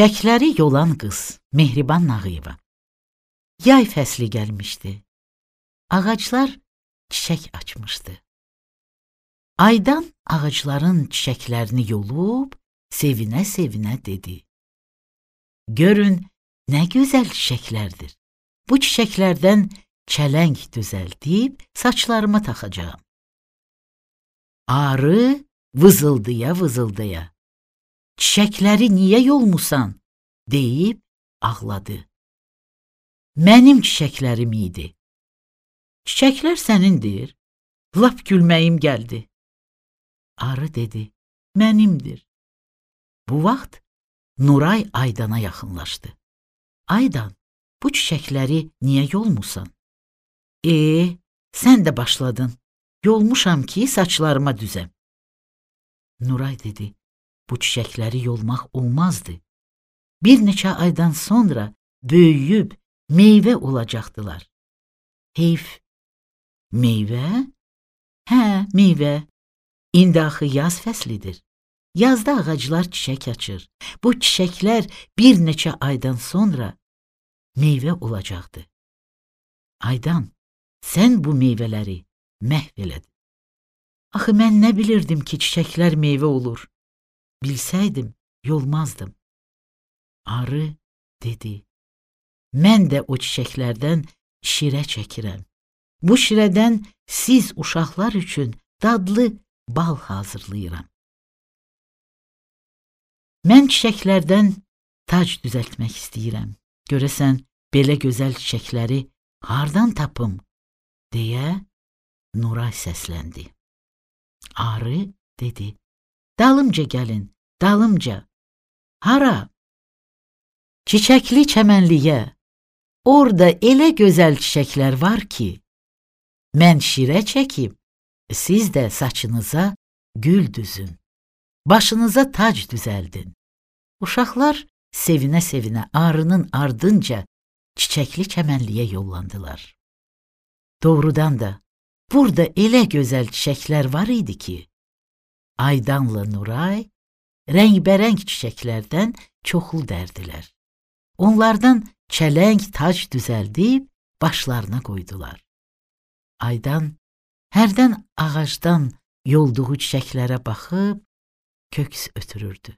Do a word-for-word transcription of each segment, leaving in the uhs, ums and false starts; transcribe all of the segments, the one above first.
Çiçəkləri yolan qız Mehriban Nağıyeva. Yay fəsli gəlmişdi. Ağaclar çiçək açmışdı. Aydan ağacların çiçəklərini yolub, sevinə-sevinə dedi: Görün, nə gözəl çiçəklərdir. Bu çiçəklərdən çələng düzəldib saçlarıma taxacağam. Arı vızıldaya-vızıldaya: Çiçəkləri niyə yolmusan? deyib ağladı. Mənim çiçəklərim idi. Çiçəklər sənindir. Lap gülməyim gəldi. Arı dedi: Mənimdir. Bu vaxt Nuray Aydana yaxınlaşdı. Aydan, bu çiçəkləri niyə yolmusan? E, sən də başladın. Yolmuşam ki, saçlarıma düzəm. Nuray dedi: Bu çiçəkləri yolmaq olmazdı. Bir neçə aydan sonra böyüyüb meyvə olacaqdılar. Heyf, meyvə? Hə, meyvə. İndi axı yaz fəslidir. Yazda ağaclar çiçək açır. Bu çiçəklər bir neçə aydan sonra meyvə olacaqdı. Aydan, sən bu meyvələri məhv elədin. Axı mən nə bilirdim ki, çiçəklər meyvə olur. Bilsəydim, yolmazdım. Arı dedi: Mən də o çiçəklərdən şirə çəkirəm. Bu şirədən siz uşaqlar üçün dadlı bal hazırlayıram. Mən çiçəklərdən tac düzəltmək istəyirəm. Görəsən, belə gözəl çiçəkləri hardan tapım? deyə Nuray səsləndi. Arı dedi: Dalımca gəlin, dalımca. Hara? Çiçəkli çəmənliyə. Orada elə gözəl çiçəklər var ki, mən şirə çəkim, siz də saçınıza gül düzün, başınıza tac düzəldin. Uşaqlar sevinə-sevinə arının ardınca çiçəkli çəmənliyə yollandılar. Doğrudan da burada elə gözəl çiçəklər var idi ki, Aydanla Nuray rəngbərəng çiçəklərdən çoxlu dərdilər. Onlardan çələng tac düzəldib başlarına qoydular. Aydan hərdən ağacdan yolduğu çiçəklərə baxıb köks ötürürdü.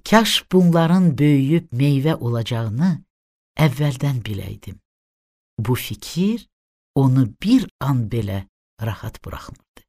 Kaş bunların böyüyüb meyvə olacağını əvvəldən biləydim. Bu fikir onu bir an belə rahat buraxmırdı.